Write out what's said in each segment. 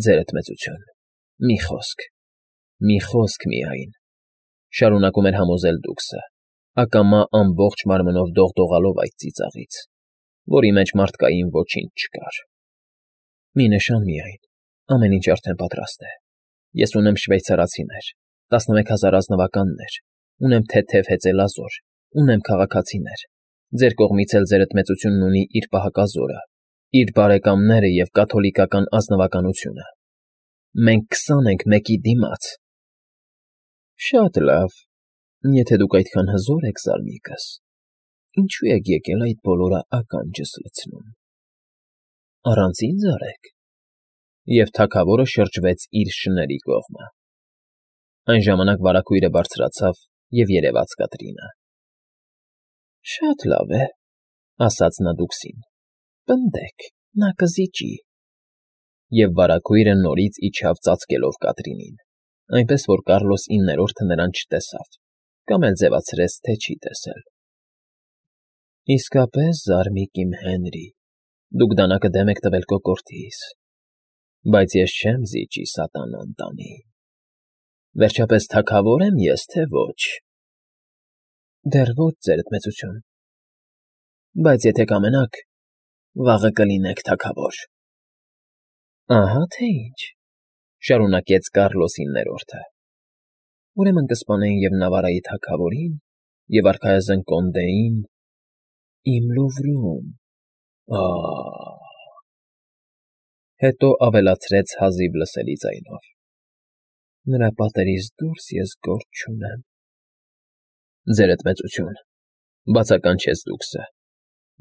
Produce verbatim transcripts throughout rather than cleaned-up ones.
Ձերդ մեծություն, մի խոսք, մի խոսք միայն, շարունակում էր համոզել Դուքսը, ակամա ամբողջ մարմնով դողդողալով այդ ծիծաղից, որի մեջ մարդկային ոչինչ չկար։ Մի նշան միայն, ամեն ինչ արդեն պատրաստ է։ Ես ունեմ շվեյցարացիներ, տասնմեկ հազար ազնվականներ, ունեմ թեթև հեծելազոր, ունեմ քաղաքացիներ, ձեր կողմից էլ ձերդ մեծությունն ունի իր պահակազորը, իր բարեկամները և կաթոլիկական ազնվականությունը։ Մենք քսան ենք մեկի դիմաց։ Շատ լավ, եթե դուք այդքան հզոր եք, զարմիկս, ինչու եք եկել այդ բոլորը ականջս լցնում։ Առանց ինձ արեք։ Եվ թագավորը շրջվեց իր շների կողմը։ Այն ժամանակ վարագույրը բարձրացավ և երևաց Կատրինը։ Շատ լավ է, ասաց նա Դուքսին, պնդեք, նա կզիջի։ Եվ վարագույրը նորից իջավ ծածկելով Կատրինին, այնպես որ Կառլոս իններորդը նրան չտեսավ կամ էլ ձևացրեց, թե չի տեսել։ Իսկապես, զարմիկ իմ Հենրի, դուք դանակը դեմ եք տվել կոկորդիս, բայց ես չեմ զիջի սատանան տանի։ Վերջապես թագավոր եմ ես, թե ոչ։ Դեռ ոչ, ձերդ մեծություն, բայց եթե կամենաք, վաղը կլինեք թագավոր։ Ահա թե ինչ, շարունակեց Կառլոս իններորդը, ուրեմն կսպանեն և Նավարայի թագավորին, և արքայազն Կոնդեին, իմ Լուվրում, ա՜։ Հետո ավելացրեց հազիվ լսելի ձայնով. Նրա պատերից դուրս ես գործ չունեմ։ Ձերդ մեծություն, բացականչեց Դուքսը,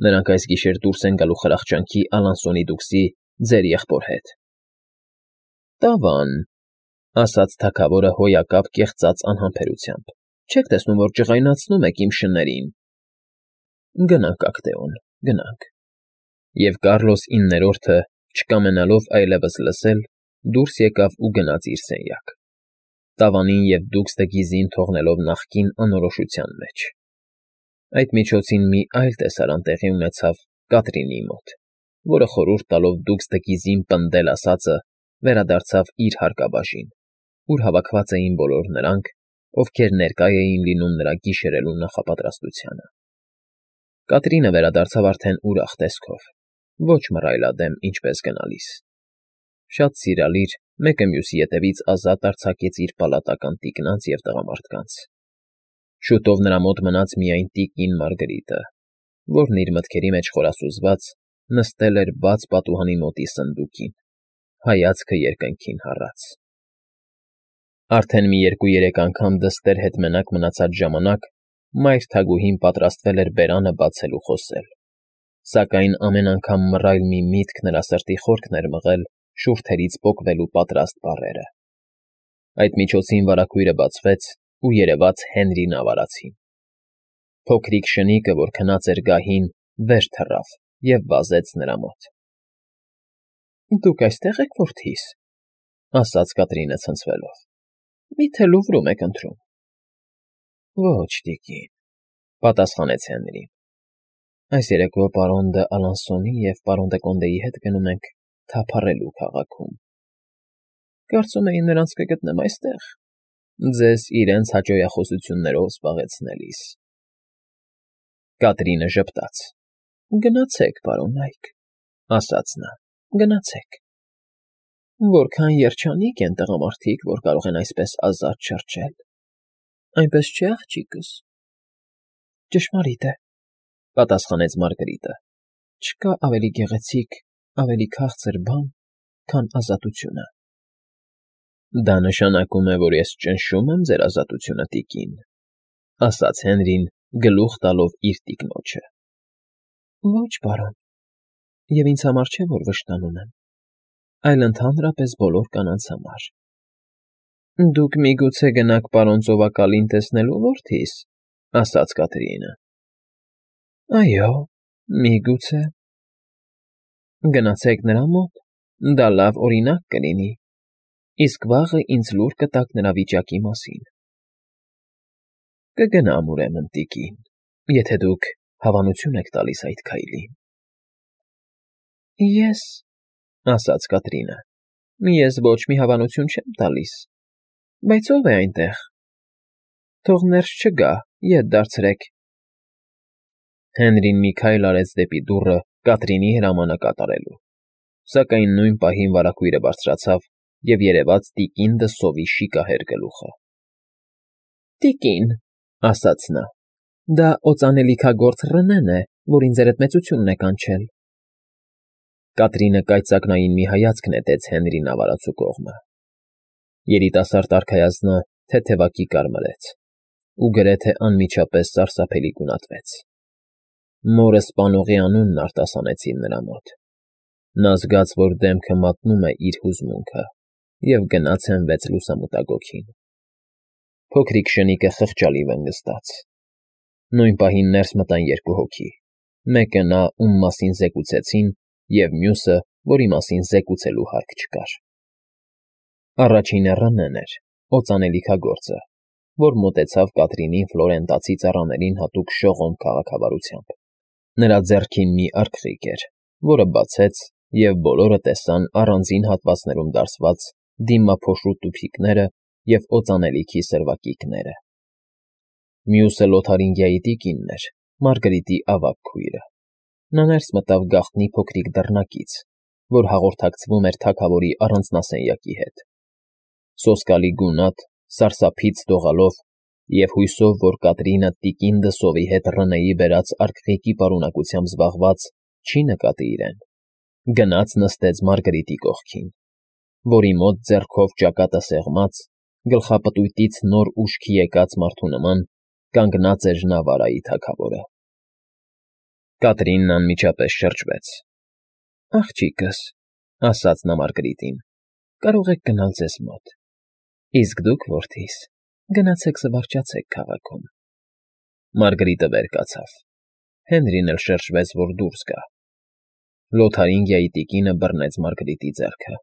նրանք այս գիշեր դուրս են գալու խրախճանքի Ալանսոնի Դուքսի, ձեր եղբոր հետ։ Տավան, ասաց թագավորը հոյակապ կեղծած անհամբերությամբ, չեք տեսնում, որ ջղայնացնում եք իմ շներին։ Գնանք, Ակտեոն, գնանք։ Եվ Կառլոս իններորդը, չկամենալով այլևս լսել, դուրս եկավ ու գնաց իր սենյակ, Տավանին և Դուքսը գիզին թողնելով նախկին անորոշության մեջ։ Այդ միջոցին մի այլ տեսարան տեղի ունեցավ Կատրինի մոտ, որը խորհուրդ տալով Դուքսը գիզին պնդել ասածը, վերադարձավ իր հարկաբաժին, ուր հավաքված էին բոլոր նրանք, ովքեր ներկա էին լինում նրա գիշերելու նախապատրաստությանը։ Կատրինը վերադարձավ արդեն ուրախ տեսքով, ոչ մռայլադեմ, ինչպես գնալիս։ Շատ սիրալիր, մեկը մյուսի ետևից ազատ արձակեց իր պալատական տիկնանց և տղամարդկանց։ Շուտով նրա մոտ մնաց միայն տիկին Մարգրիտը, որն իր մտքերի մեջ խորասուզված նստել էր բաց պատուհանի մոտի սնդուկին, հայացքը երկնքին հառած։ Արդեն մի երկու֊երեք անգամ դստեր հետ մենակ մնացած ժամանակ մայր թագուհին պատրաստվել էր բերանը բացել ու խոսել, սակայն ամեն անգամ մռայլ մի միտք նրա սրտի խորքն էր մղել շուրթերից պոկվելու պատրաստ բառերը։ Այդ միջոցին վարագույրը բացվեց ու երևաց Հենրի Նավարացին։ Փոքրիկ շնիկը, որ քնած էր գահին, վեր թռավ և վազեց նրա մոտ։ Դուք այստե՞ղ եք, որդիս, ասաց Կատրինը ցնցվելով, մի՞թե Լուվրում եք ընթրում։ Ոչ, տիկին, պատասխանեց Հենրին, այս երեկո պարոն դը Ալանսոնի և պարոն դը Կոնդեի հետ գնում ենք թափառելու քաղաքում։ Կարծում էի նրանց կգտնեմ այստեղ, ձեզ իրենց հաճոյախոսություններով զբաղեցնելիս։ Կատրինը ժպտաց. Գնացեք, պարոն Այք, ասաց նա, գնացեք։ Որքան երջանիկ են տղամարդիկ, որ կարող են այսպես ազատ շրջել։ Այնպես չէ, աղջիկս։ Ճշմարիտ է, պատասխանեց Մարգրիտը, չկա ավելի գեղեցիկ, ավելի քաղցր բան, քան ազատությունը։ Դա նշանակում է, որ ես ճնշում եմ ձեր ազատությունը, տիկին, ասաց Հենրին, գլուխ տալով իր տիկնոջը։ Ոչ, պարոն, և ինձ համար չէ, որ վշտանում եմ, այլ ընդհանրապես բոլոր կանանց համար։ Դուք միգուցե գնաք պարոն ծովակալին տեսնելու, որդիս, ասաց Կատրինը։ Այո, միգուցե։ Գնացեք նրա մոտ, դա լավ օրինակ կլինի, իսկ վաղը ինձ լուր կտաք նրա վիճակի մասին։ Կգնամ, ուրեմն, տիկին, եթե դուք հավանություն եք տալիս այդ քայլին։ Ես, ասաց Կատրինը, Ես ոչ մի հավանություն չեմ տալիս, բայց ո՞վ է այնտեղ։ Թող ներս չգա, ետ դարձրեք։ Հենրին մի քայլ արեց դեպի դուռը Կատրինի հրամանը կատարելու, սակայն նույն պահին վարագույրը բարձրացավ և երևաց տիկին դսովի շիկահեր գլուխը։ ֊ Տիկին, ֊ ասաց նա, ֊ դա օծանելիքագործ Ռնեն է, որին ձերդ մեծությունն է կանչել։ Կատրինը կայծակնային մի հայացք նետեց Հենրին ավարածու կողմը։ Երիտասարդ արքայազնը թեթևակի կարմրեց ու գրեթե անմիջապես սարսափելի գունատվեց։ Մորը սպանողի անունն արտասանեցին նրա մոտ։ Նա զգաց, որ դեմքը մատնում է իր հուզմունքը, և գնաց հենվեց լուսամուտագոգին։ Փոքրիկ շնիկը խղճալի վնգստաց։ Նույն պահին ներս մտան երկու հոգի, մեկը նա, ում մասին զեկուցեցին, և մյուսը, որի մասին զեկուցելու հարկ չկար։ Առաջինը Ռնեն էր, օծանելիքագործը, որ մոտեցավ Կատրինին ֆլորենտացի ծառաներին հատուկ շողոմ քաղաքավարությամբ։ Նրա ձեռքին մի արկղիկ էր, որը բացեց, և բոլորը տեսան առանձին հատվածներում դարսված դիմափոշու տուփիկները և օծանելիքի սրվակիքները։ Մյուսը Լոթարինգիայի տիկինն էր, Մարգարիտի ավագ քույրը։ Նա ներս մտավ գաղտնի փոքրիկ դռնակից, որ հաղորդակցվում էր թագավորի առանձնասենյակի հետ։ Սոսկալի գունատ, սարսափից դողալով և հույսով, որ Կատրինը տիկին դսովի հետ Ռնեի բերած արկղիկի պարունակությամբ զբաղված չի նկատի իրեն, գնաց նստեց Մարգարիտի կողքին, որի մոտ ձեռքով ճակատը սեղմած, գլխապտույտից նոր ուշքի եկած մարդու նման կանգնած էր Նավարայի թագավորը։ Կատրինն անմիջապես շրջվեց։ ֊ Աղջիկս, ֊ ասաց նա Մարգարիտին, ֊ կարող եք գնալ ձեզ մոտ, իսկ դուք, որդիս, գնացեք զվարճացեք քաղաքում։ Մարգարիտը վեր կացավ։ Հենրին էլ շրջվեց, որ դուրս գա։ Լոթարինգիայի տիկինը բռնեց Մարգարիտի ձեռքը։ ֊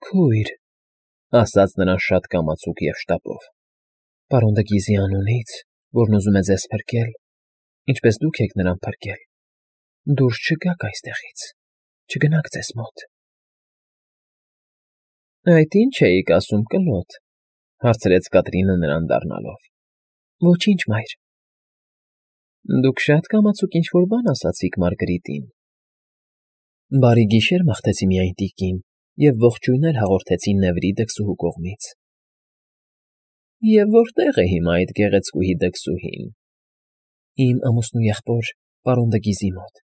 Քույր, ֊ ասաց նրան շատ կամացուկ և շտապով, ֊ պարոն Դգիզի անունից, որն ուզում է ձեզ փրկել, ինչպես դուք եք նրան փրկել, դուրս չգաք այստեղից, չգնաք ձեզ մոտ։ ֊ Այդ ի՞նչ էիք ասում, կլոտ, ֊ հարցրեց Կատրինը նրան դառնալով։ ֊ Ոչինչ, մայր։ ֊ Դուք շատ կամացուկ ինչ֊որ բան ասացիք Մարգարիտին։ ֊ Բարի գիշեր մաղթեցի միայն, տիկին, և ողջույններ հաղորդեցի Նևրի դքսուհու կողմից։ ֊ Եվ որտե՞ղ է հիմա այդ գեղեցկուհի դքսուհին։ ֊ Իմ ամուսնու եղբոր, պարոն Դգիզի մոտ։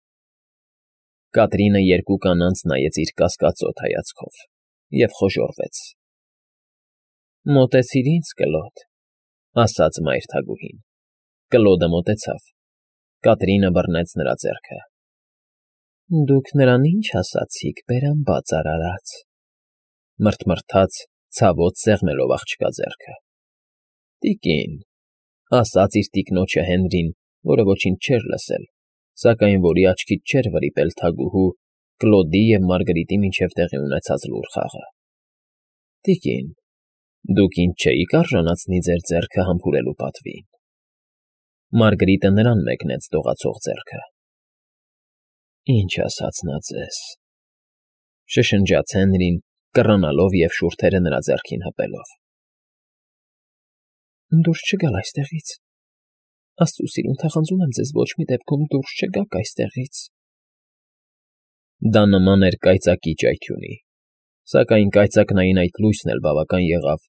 Կատրինը երկու կանանց նայեց իր կասկածոտ հայացքով և խոժոռվեց։ ֊ Մոտեցիր ինձ, կլոտ, ֊ ասաց մայր թագուհին։ Կլոդը մոտեցավ։ Կատրինը բռնեց նրա ձեռքը։ ֊ Դուք նրան ի՞նչ ասացիք, բերամբաց արարած, ֊ մռթմռթաց, ցավոտ սեղմելով աղջկա ձեռքը։ ֊ Տիկին, ֊ ասաց իր տիկնոջը Հենրին, որը ոչինչ չէր լսել, սակայն որի աչքից չէր վրիպել թագուհու, Կլոդի և Մարգարիտի միջև տեղի ունեցած լուռ խաղը։ ֊ Տիկին, դուք ինձ չէիք արժանացնի ձեր ձեռքը համբուրելու պատվին։ Մարգարիտը նրան մեկնեց դողացող ձեռքը։ ֊ Ինչ ասաց նա ձեզ, ֊ շշնջաց Հենրին, կռանալով և շուրթերը նրա ձեռքին հպելով։ ֊ Դուրս չգալ այստեղից, աստծու սիրուն թախանձում եմ ձեզ, ոչ մի դեպքում դուրս չգաք այստեղից։ Դա նման էր կայծակի ճայթյունի, սակայն կայծակնային այդ լույսն էլ բավական եղավ,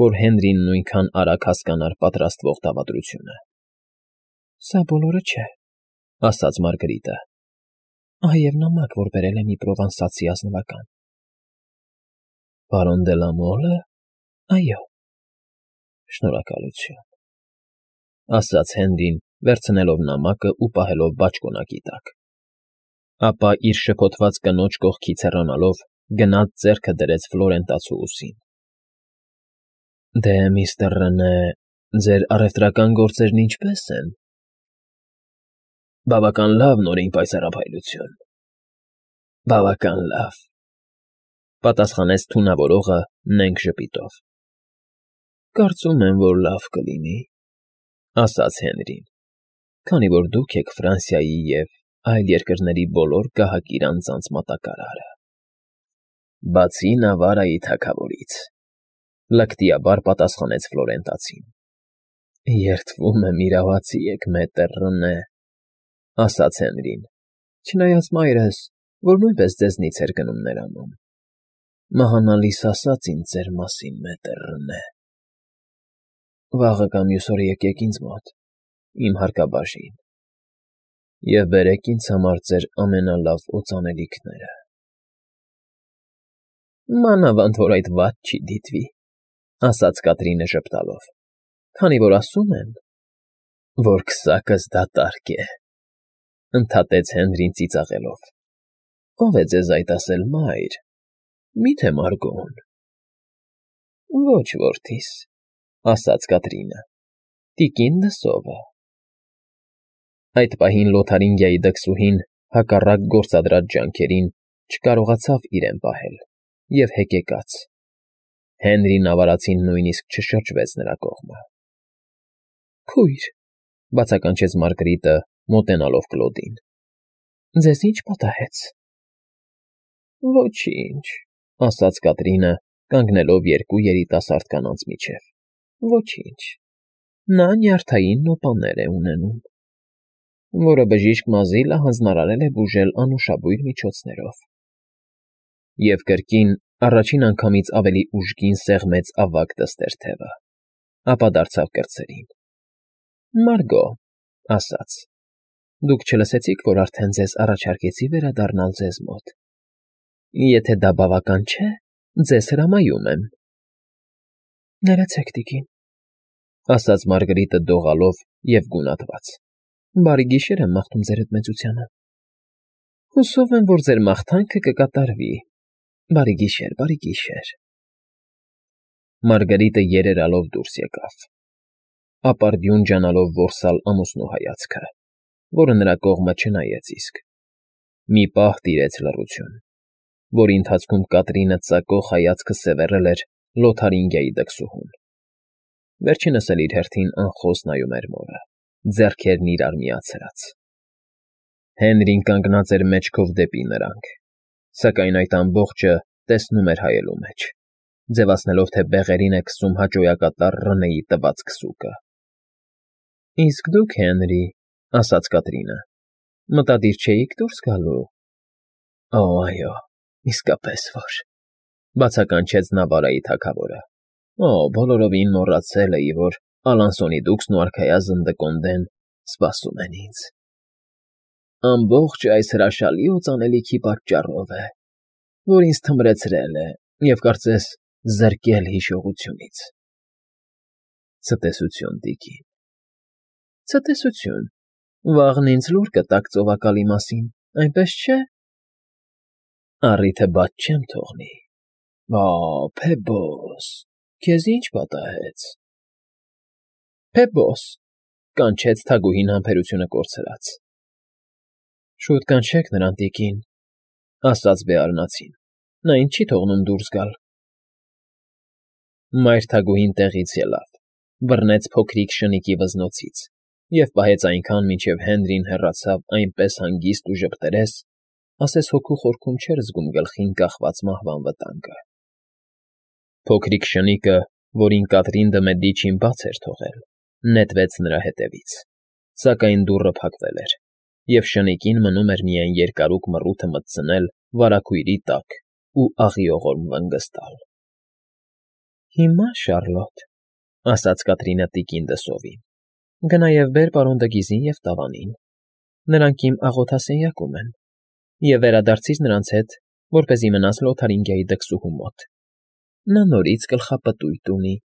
որ Հենրին նույնքան արագ հասկանար պատրաստվող դավադրությունը։ ֊ Սա բոլորը չէ, ֊ ասաց Մարգարիտը։ ֊ Ահա և նամակ, որ բերել է մի պրովանսացի ազնվական։ ֊ Պարոն դե լա Մոլը։ ֊ Այո։ ֊ Շնորհակալություն, ֊ ասաց Հենրին, վերցնելով նամակն ու պահելով բաճկոնակի տակ։ Ապա իր շփոթված կնոջ կողքից հեռանալով գնաց ձեռքը դրեց Ֆլորենտացու ուսին։ ֊ Դե, միստր Ռենե, ձեր առևտրական գործերն ինչպե՞ս են։ ֊ Բավական լավ, Նորին պայծառափայլություն, բավական լավ, ֊ պատասխանեց թունավորողը նենգ ժպիտով։ ֊ Կարծում եմ, որ լավ կլինի, ֊ ասաց Հենրին, ֊ քանի որ դուք եք Ֆրանսիայի և այլ երկրների բոլոր գահակիր անձանց մատակարարը։ Բացի Նավարայի թագավորից,֊ լկտիաբար պատասխանեց Ֆլորենտացին։ Երդվում եմ իրավացի եք, մետր Ռնե,֊ ասաց Հենրին, չնայած մայրս, որ նույնպես ձեզնից էր գնում նրանում, մահանալիս ասաց ինձ ձեր մասին, մետր Ռնե։ Վաղը կամ մյուս օրը եկեք ինձ մոտ, իմ հարկաբաժին, և բերեք ինձ համար ձեր ամենալավ օծանելիքները։ Մանավանդ որ այդ վատ չի դիտվի,֊ ասաց Կատրինը ժպտալով, քանի որ ասում են, որ քսակս դատարկ է,֊ ընդհատեց Հենրին ծիծաղելով։ Ո՞վ է ձեզ այդ ասել, մայր, մի՞թե Մարգոն։ Ոչ, որդիս,֊ ասաց Կատրինը, տիկին Դսովը։ Այդ պահին Լոթարինգիայի դքսուհին, հակառակ գործադրած ջանքերին, չկարողացավ իրեն պահել և հեկեկաց։ Հենրին Նավարացին նույնիսկ չշրջվեց նրա կողմը։ Քույր,֊ բացականչեց Մարգրիտը, մոտենալով Կլոդին,֊ ձեզ ի՞նչ պատահեց։ Ոչինչ,֊ ասաց Կատրինը, կանգնելով երկու երիտասարդ կանանց միջև,֊ ոչինչ, նա նյարդային նոպաներ է ունենում, որը բժիշկ Մազիլը հանձնարարել է բուժել անուշաբույր միջոցներով։ Եվ կրկին, առաջին անգամից ավելի ուժգին սեղմեց ավագ դստեր թևը, ապա դարձավ կրտսերին։ Մարգո, ասաց. Դուք չլսեցիք, որ արդեն ձեզ առաջարկեցի վերադառնալ ձեզ մոտ։ Եթե դա բավական չէ, ձեզ հրամայում եմ։ Ներեցեք, տիկին, ասաց Մարգրիտը դողալով և գունատված։ Բարի գիշեր եմ մաղթում ձեր հետ մեծությանը։ Հուսով եմ, որ ձեր մաղթանքը կկատարվի։ Բարի գիշեր, բարի գիշեր։ Մարգարիտը երերալով դուրս եկավ, ապարդյուն ջանալով որսալ ամուսնու հայացքը, որը նրա կողմը չնայեց իսկ։ Մի պահ տիրեց լռություն, որի ընթացքում Կատրինը ծակող հայացքը սևեռել էր Լոթարինգիայի դքսուհուն։ Վերջինս էլ իր հերթին անխոս նայում էր մորը, ձեռքերն իրար միացրած։ Հենրին կանգնած էր մեջքով դեպի նրանք, սակայն այդ ամբողջը տեսնում էր հայելու մեջ, ձևացնելով, թե բեղերին է քսում հաճոյակատար Ռնեի տված քսուկը։ Իսկ դուք, Հենրի, ասաց Կատրինը, մտադիր չէիք դուրս գալու։ Օ, այո, իսկապես որ, բացականչեց Նավարայի թագավորը։ Օ, բոլորովին մոռացել էի, որ Ալանսոնի դուքսն ու արքայազն Դկոնդեն սպասում են ինձ։ Ամբողջ այս հրաշալի օծանելիքի պատճառով է, որ ինձ թմրեցրել է և, կարծես, զրկել հիշողությունից։ Ցտեսություն, տիկին, ցտեսություն, վաղն ինձ լուր կտաք ծովակալի մասին, այնպես չէ։ Առիթը բաց չեմ թողնի։ Ա, Փեբոս, քեզ ի՞նչ պատահեց։ Փեբոս, կանչեց թագուհին համբերությունը կորցրած։ Շուտ կանչեք նրան, տիկին, ասաց Բեարնացին, նա ինձ չի թողնում դուրս գալ։ Մայր թագուհին տեղից ելավ, բռնեց փոքրիկ շնիկի վզնոցից և պահեց այնքան, մինչև Հենրին հեռացավ այնպես հանգիստ ու ժպտերես, ասես հոգու խորքում չէր զգում գլխին կախված մահվան վտանգը։ Փոքրիկ շնիկը, որին Կատրին Դմեդիչին բաց էր թողել, նետվեց նրա հետևից, սակայն դուռը փակվել էր, և շնիկին մնում էր միայն երկարուկ մռութը մտցնել վարագույրի տակ ու աղիողորմ վնգստալ։ Հիմա, Շարլոտ, ասաց Կատրինը տիկին Դսովին, գնա և բեր պարոն Դգիզին և տավանին, նրանք իմ աղոթասենյակում են, և վերադարձիր նրանց հետ, որպեսզի մնաս Լոթարինգիայի դքսուհու մոտ։ Նա նորից գլխապտույտ ունի։